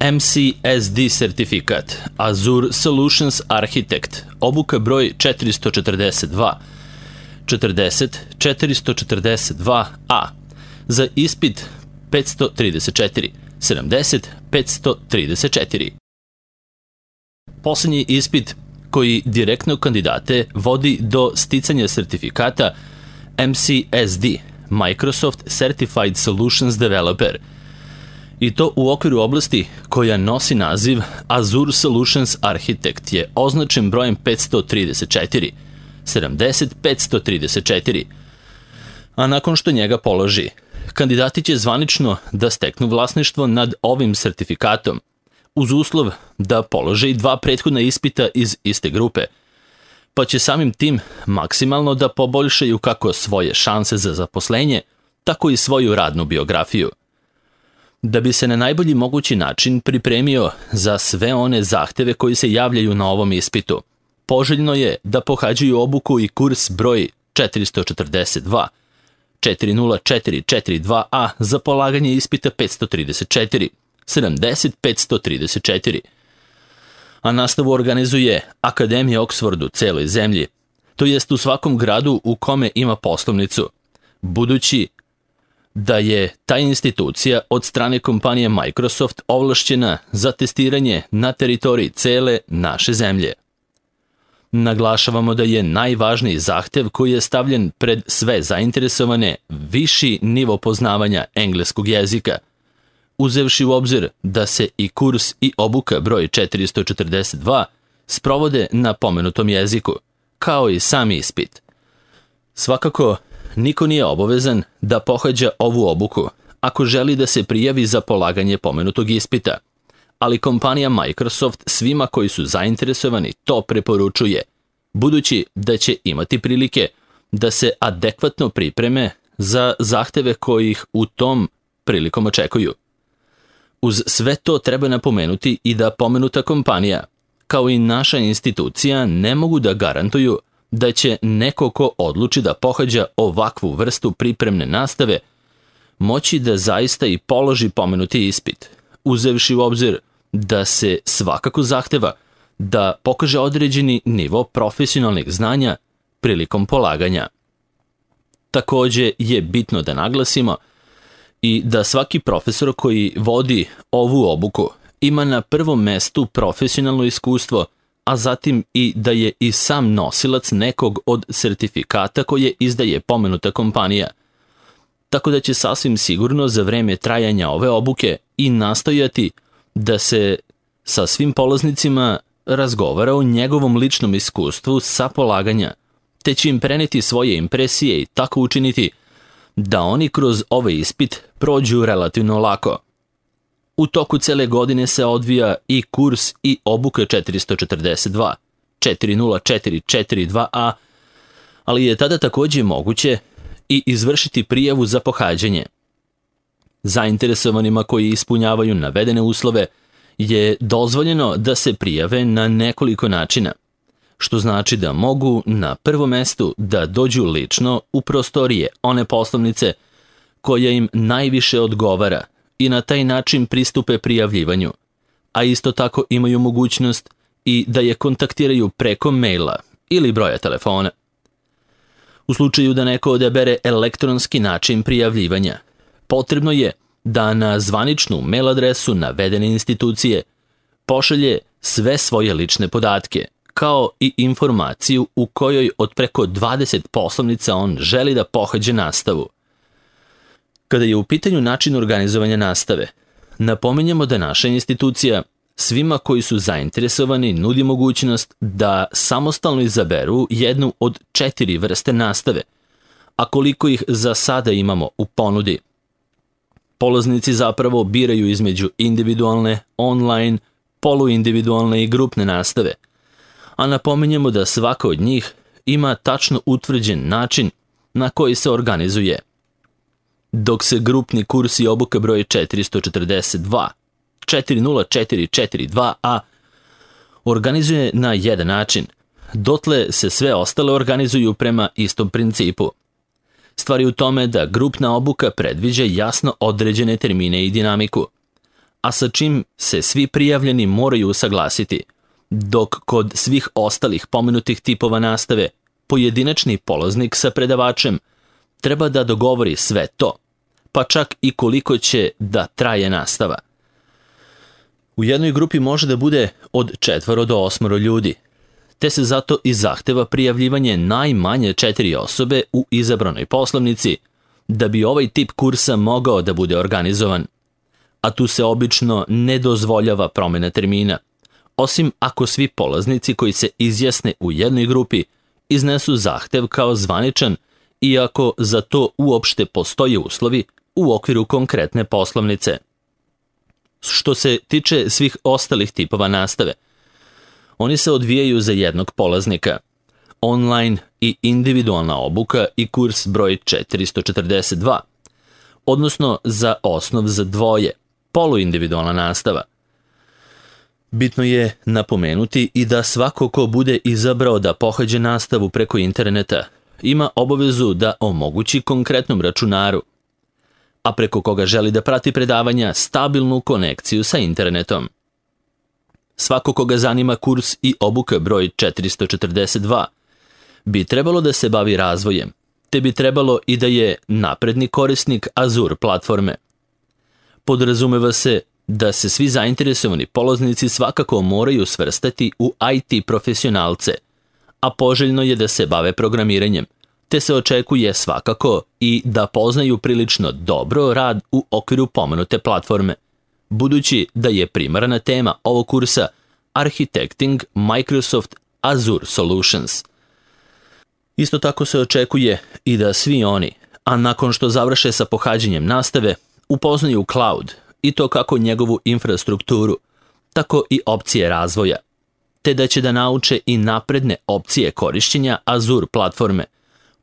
MCSD sertifikat, Azure Solutions Architect, obuka broj 442, 40-442A, za ispit 534, 70-534. Poslednji ispit koji direktno kandidate vodi do sticanja sertifikata MCSD, Microsoft Certified Solutions Developer, i to u okviru oblasti koja nosi naziv Azure Solutions Architect je označen brojem 534, 70-534, a nakon što njega položi, kandidati će zvanično da steknu vlasništvo nad ovim sertifikatom, uz uslov da polože i 2 prethodna ispita iz iste grupe, pa će samim tim maksimalno da poboljšaju kako svoje šanse za zaposlenje, tako i svoju radnu biografiju. Da bi se na najbolji mogući način pripremio za sve one zahteve koji se javljaju na ovom ispitu, poželjno je da pohađaju obuku i kurs broj 442, 40-442A za polaganje ispita 534, 70-534. A nastavu organizuje Akademija Oxford u celoj zemlji, to jest u svakom gradu u kome ima poslovnicu, budući da je ta institucija od strane kompanije Microsoft ovlašćena za testiranje na teritoriji cele naše zemlje. Naglašavamo da je najvažniji zahtev koji je stavljen pred sve zainteresovane viši nivo poznavanja engleskog jezika, uzevši u obzir da se i kurs i obuka broj 442 sprovode na pomenutom jeziku, kao i sam ispit. Svakako, niko nije obavezan da pohađa ovu obuku ako želi da se prijavi za polaganje pomenutog ispita, ali kompanija Microsoft svima koji su zainteresovani to preporučuje, budući da će imati prilike da se adekvatno pripreme za zahteve koji ih u tom prilikom očekuju. Uz sve to treba napomenuti i da pomenuta kompanija, kao i naša institucija, ne mogu da garantuju da će neko ko odluči da pohađa ovakvu vrstu pripremne nastave moći da zaista i položi pomenuti ispit, uzevši u obzir da se svakako zahteva da pokaže određeni nivo profesionalnih znanja prilikom polaganja. Takođe je bitno da naglasimo i da svaki profesor koji vodi ovu obuku ima na prvom mestu profesionalno iskustvo, a zatim i da je i sam nosilac nekog od sertifikata koje izdaje pomenuta kompanija. Tako da će sasvim sigurno za vreme trajanja ove obuke i nastojati da se sa svim polaznicima razgovara o njegovom ličnom iskustvu sa polaganja, te će im preneti svoje impresije i tako učiniti da oni kroz ovaj ispit prođu relativno lako. U toku cele godine se odvija i kurs i obuka 442, 40-442A, ali je tada takođe moguće i izvršiti prijavu za pohađanje. Zainteresovanima koji ispunjavaju navedene uslove je dozvoljeno da se prijave na nekoliko načina, što znači da mogu na prvom mestu da dođu lično u prostorije one poslovnice koja im najviše odgovara i na taj način pristupe prijavljivanju, a isto tako imaju mogućnost i da je kontaktiraju preko maila ili broja telefona. U slučaju da neko odabere elektronski način prijavljivanja, potrebno je da na zvaničnu mail adresu navedene institucije pošalje sve svoje lične podatke, kao i informaciju u kojoj od preko 20 poslovnica on želi da pohađe nastavu. Kada je u pitanju način organizovanja nastave, napominjemo da naša institucija svima koji su zainteresovani nudi mogućnost da samostalno izaberu jednu od 4 vrste nastave, a koliko ih za sada imamo u ponudi. Polaznici zapravo biraju između individualne, online, poluindividualne i grupne nastave, a napominjemo da svaka od njih ima tačno utvrđen način na koji se organizuje. Dok se grupni kurs i obuka broj 442, 40-442A organizuje na jedan način, dotle se sve ostale organizuju prema istom principu. Stvar je u tome da grupna obuka predviđa jasno određene termine i dinamiku, a sa čim se svi prijavljeni moraju usaglasiti, dok kod svih ostalih pomenutih tipova nastave pojedinačni polaznik sa predavačem treba da dogovori sve to, pa čak i koliko će da traje nastava. U jednoj grupi može da bude od 4 do 8 ljudi, te se zato i zahteva prijavljivanje najmanje 4 osobe u izabranoj poslovnici da bi ovaj tip kursa mogao da bude organizovan. A tu se obično ne dozvoljava promjena termina, osim ako svi polaznici koji se izjasne u jednoj grupi iznesu zahtev kao zvaničan, iako za to uopšte postoje uslovi u okviru konkretne poslovnice. Što se tiče svih ostalih tipova nastave, oni se odvijaju za jednog polaznika. Online i individualna obuka i kurs broj 442, odnosno za osnov za dvoje, poluindividualna nastava. Bitno je napomenuti i da svako ko bude izabrao da pohađa nastavu preko interneta ima obavezu da omogući konkretnom računaru, a preko koga želi da prati predavanja stabilnu konekciju sa internetom. Svako koga zanima kurs i obuka broj 442 bi trebalo da se bavi razvojem, te bi trebalo i da je napredni korisnik Azure platforme. Podrazumeva se da se svi zainteresovani polaznici svakako moraju svrstati u IT profesionalce, a poželjno je da se bave programiranjem, te se očekuje svakako i da poznaju prilično dobro rad u okviru pomenute platforme, budući da je primarna tema ovog kursa Architecting Microsoft Azure Solutions. Isto tako se očekuje i da svi oni, a nakon što završe sa pohađanjem nastave, upoznaju cloud i to kako njegovu infrastrukturu, tako i opcije razvoja, te da će da nauče i napredne opcije korišćenja Azure platforme,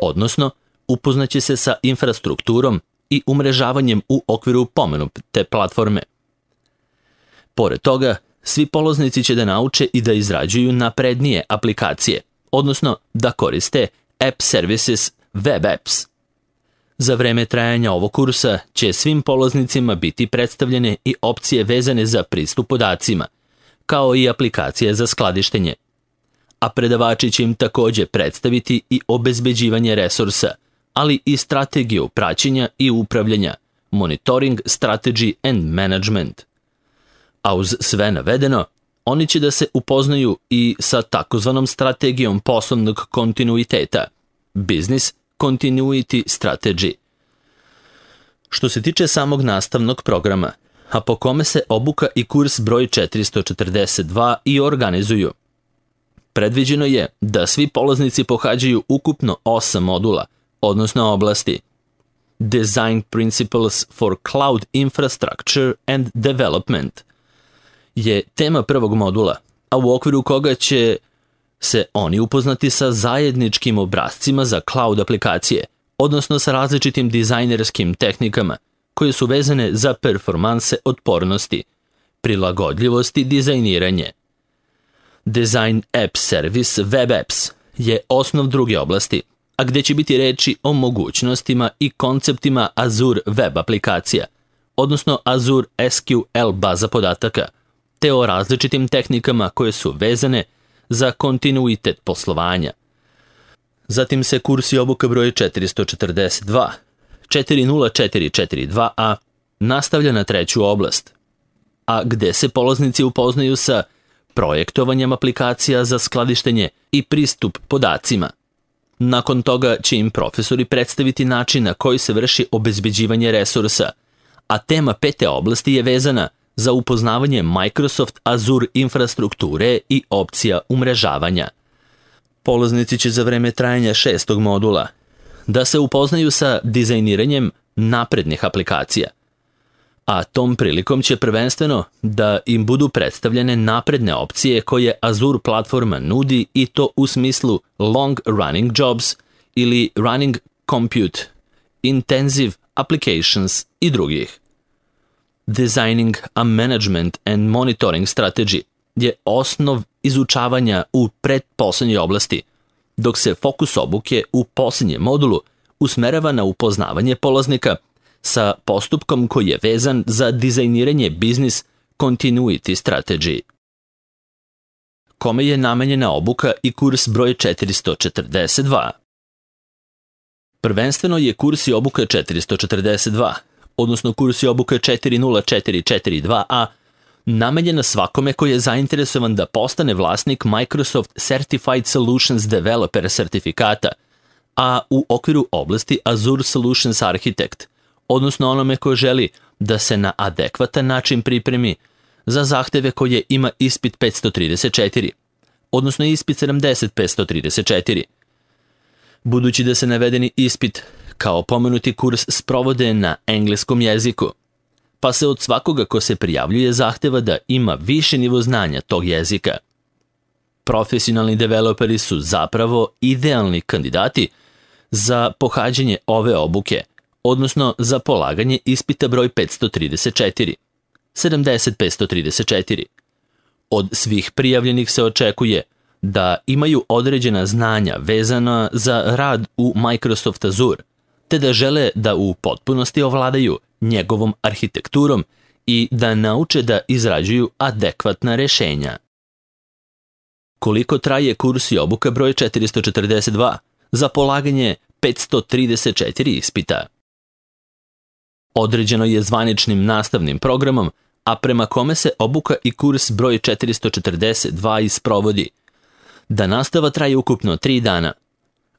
odnosno upoznaće se sa infrastrukturom i umrežavanjem u okviru pomenute platforme. Pored toga, svi polaznici će da nauče i da izrađuju naprednije aplikacije, odnosno da koriste App Services Web Apps. Za vreme trajanja ovog kursa će svim polaznicima biti predstavljene i opcije vezane za pristup podacima, kao i aplikacije za skladištenje. A predavači će im također predstaviti i obezbeđivanje resursa, ali i strategiju praćenja i upravljanja, Monitoring Strategy and Management. A uz sve navedeno, oni će da se upoznaju i sa takozvanom strategijom poslovnog kontinuiteta, Business Continuity Strategy. Što se tiče samog nastavnog programa, a po kome se obuka i kurs broj 442 i organizuju, predviđeno je da svi polaznici pohađaju ukupno 8 modula, odnosno oblasti. Design Principles for Cloud Infrastructure and Development je tema prvog modula, a u okviru koga će se oni upoznati sa zajedničkim obrascima za cloud aplikacije, odnosno sa različitim dizajnerskim tehnikama koje su vezane za performanse otpornosti, prilagodljivosti dizajniranje. Design App Service Web Apps je osnov druge oblasti, a gdje će biti reči o mogućnostima i konceptima Azure web aplikacija, odnosno Azure SQL baza podataka, te o različitim tehnikama koje su vezane za kontinuitet poslovanja. Zatim se kurs i obuka broj 442, 40442a nastavlja na treću oblast, a gde se polaznici upoznaju sa projektovanjem aplikacija za skladištenje i pristup podacima. Nakon toga će im profesori predstaviti način na koji se vrši obezbeđivanje resursa, a tema pete oblasti je vezana za upoznavanje Microsoft Azure infrastrukture i opcija umrežavanja. Polaznici će za vreme trajanja 6. modula da se upoznaju sa dizajniranjem naprednih aplikacija, a tom prilikom će prvenstveno da im budu predstavljene napredne opcije koje Azure platforma nudi i to u smislu long running jobs ili running compute, intensive applications i drugih. Designing a management and monitoring strategy je osnov izučavanja u predposlednjoj oblasti, dok se fokus obuke u posljednjem modulu usmerava na upoznavanje polaznika sa postupkom koji je vezan za dizajniranje business continuity strategy. Kome je namenjena obuka i kurs broj 442? Prvenstveno je kurs i obuka 442, odnosno kurs i obuka 40442A, namenjena svakome koji je zainteresovan da postane vlasnik Microsoft Certified Solutions Developer sertifikata, a u okviru oblasti Azure Solutions Architect, odnosno onome ko želi da se na adekvatan način pripremi za zahteve koje ima ispit 534, odnosno ispit 70534. Budući da se navedeni ispit kao pomenuti kurs sprovode na engleskom jeziku, pa se od svakoga ko se prijavljuje zahteva da ima više nivo znanja tog jezika. Profesionalni developeri su zapravo idealni kandidati za pohađanje ove obuke, odnosno za polaganje ispita broj 534, 70534. Od svih prijavljenih se očekuje da imaju određena znanja vezana za rad u Microsoft Azure, te da žele da u potpunosti ovladaju njegovom arhitekturom i da nauče da izrađuju adekvatna rešenja. Koliko traje kurs i obuka broj 442 za polaganje 534 ispita? Određeno je zvaničnim nastavnim programom, a prema kome se obuka i kurs broj 442 isprovodi, da nastava traje ukupno 3 dana,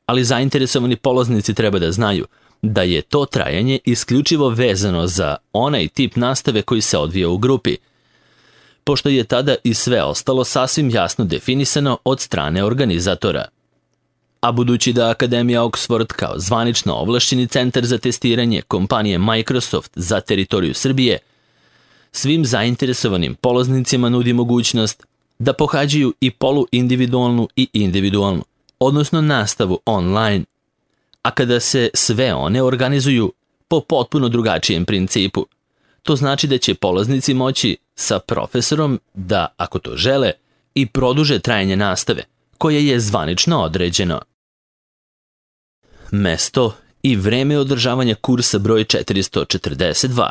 ali zainteresovani polaznici treba da znaju da je to trajanje isključivo vezano za onaj tip nastave koji se odvija u grupi, pošto je tada i sve ostalo sasvim jasno definisano od strane organizatora. A budući da Akademija Oxford kao zvanično ovlašćeni centar za testiranje kompanije Microsoft za teritoriju Srbije, svim zainteresovanim polaznicima nudi mogućnost da pohađaju i poluindividualnu i individualnu, odnosno nastavu online, a kada se sve one organizuju po potpuno drugačijem principu. To znači da će polaznici moći sa profesorom da, ako to žele, i produže trajanje nastave, koje je zvanično određeno. Mesto i vreme održavanja kursa broj 442.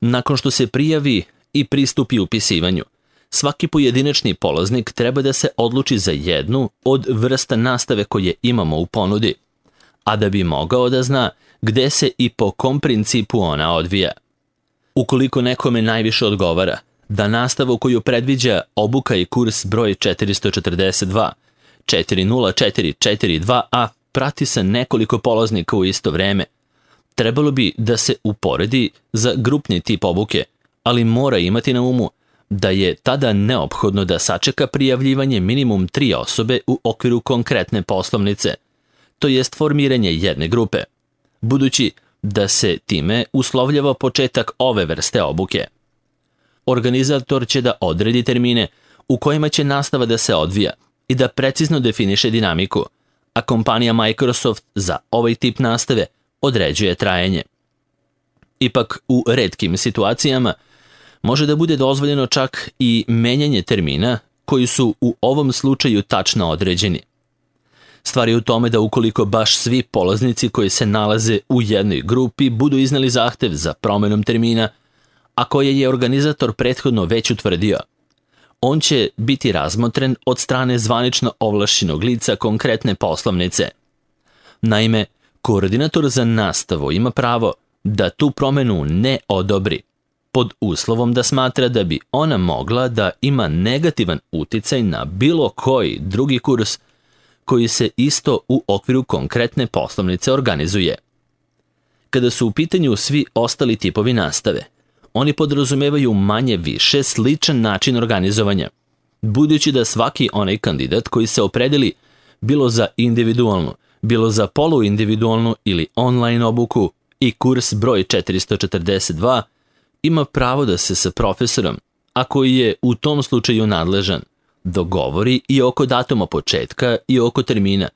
Nakon što se prijavi i pristupi upisivanju, svaki pojedinačni polaznik treba da se odluči za jednu od vrsta nastave koje imamo u ponudi, a da bi mogao da zna gde se i po kom principu ona odvija. Ukoliko nekome najviše odgovara da nastavu koju predviđa obuka i kurs broj 442, 40442A prati sa nekoliko polaznika u isto vreme, trebalo bi da se uporedi za grupni tip obuke, ali mora imati na umu da je tada neophodno da sačeka prijavljivanje minimum 3 osobe u okviru konkretne poslovnice, to jest formiranje jedne grupe, budući da se time uslovljava početak ove vrste obuke. Organizator će da odredi termine u kojima će nastava da se odvija i da precizno definiše dinamiku, a kompanija Microsoft za ovaj tip nastave određuje trajanje. Ipak, u retkim situacijama može da bude dozvoljeno čak i menjanje termina koji su u ovom slučaju tačno određeni. Stvar je u tome da ukoliko baš svi polaznici koji se nalaze u jednoj grupi budu izneli zahtev za promenom termina, a koje je organizator prethodno već utvrdio, on će biti razmotren od strane zvanično ovlašćenog lica konkretne poslovnice. Naime, koordinator za nastavu ima pravo da tu promenu ne odobri, pod uslovom da smatra da bi ona mogla da ima negativan uticaj na bilo koji drugi kurs koji se isto u okviru konkretne poslovnice organizuje. Kada su u pitanju svi ostali tipovi nastave, oni podrazumevaju manje više sličan način organizovanja, budući da svaki onaj kandidat koji se opredeli bilo za individualnu, bilo za poluindividualnu ili online obuku i kurs broj 442, ima pravo da se sa profesorom, a koji je u tom slučaju nadležan, dogovori i oko datuma početka i oko termina,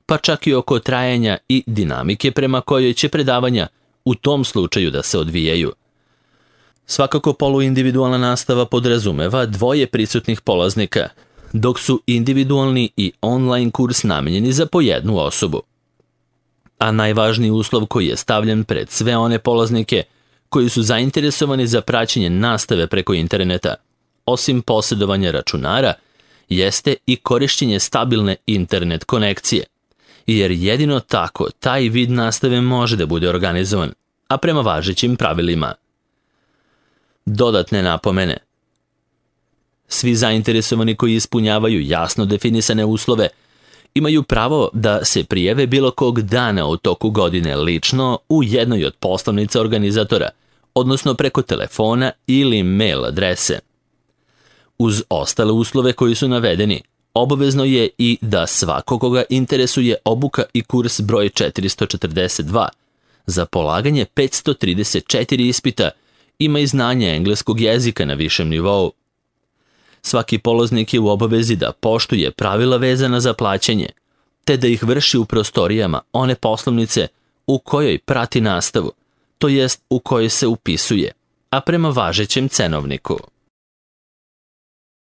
pa čak i oko trajanja i dinamike prema kojoj će predavanja u tom slučaju da se odvijaju. Svakako poluindividualna nastava podrazumeva 2 prisutnih polaznika, dok su individualni i online kurs namenjeni za po jednu osobu. a najvažniji uslov koji je stavljen pred sve one polaznike koji su zainteresovani za praćenje nastave preko interneta, osim posjedovanja računara, jeste i korišćenje stabilne internet konekcije, jer jedino tako taj vid nastave može da bude organizovan, a prema važećim pravilima. Dodatne napomene. Svi zainteresovani koji ispunjavaju jasno definisane uslove imaju pravo da se prijave bilo kog dana u toku godine lično u jednoj od poslovnica organizatora, odnosno preko telefona ili mail adrese. Uz ostale uslove koji su navedeni, obavezno je i da svako koga interesuje obuka i kurs broj 442 za polaganje 534 ispita ima i znanje engleskog jezika na višem nivou. Svaki polaznik je u obavezi da poštuje pravila vezana za plaćanje, te da ih vrši u prostorijama one poslovnice u kojoj prati nastavu, to jest u kojoj se upisuje, a prema važećem cenovniku.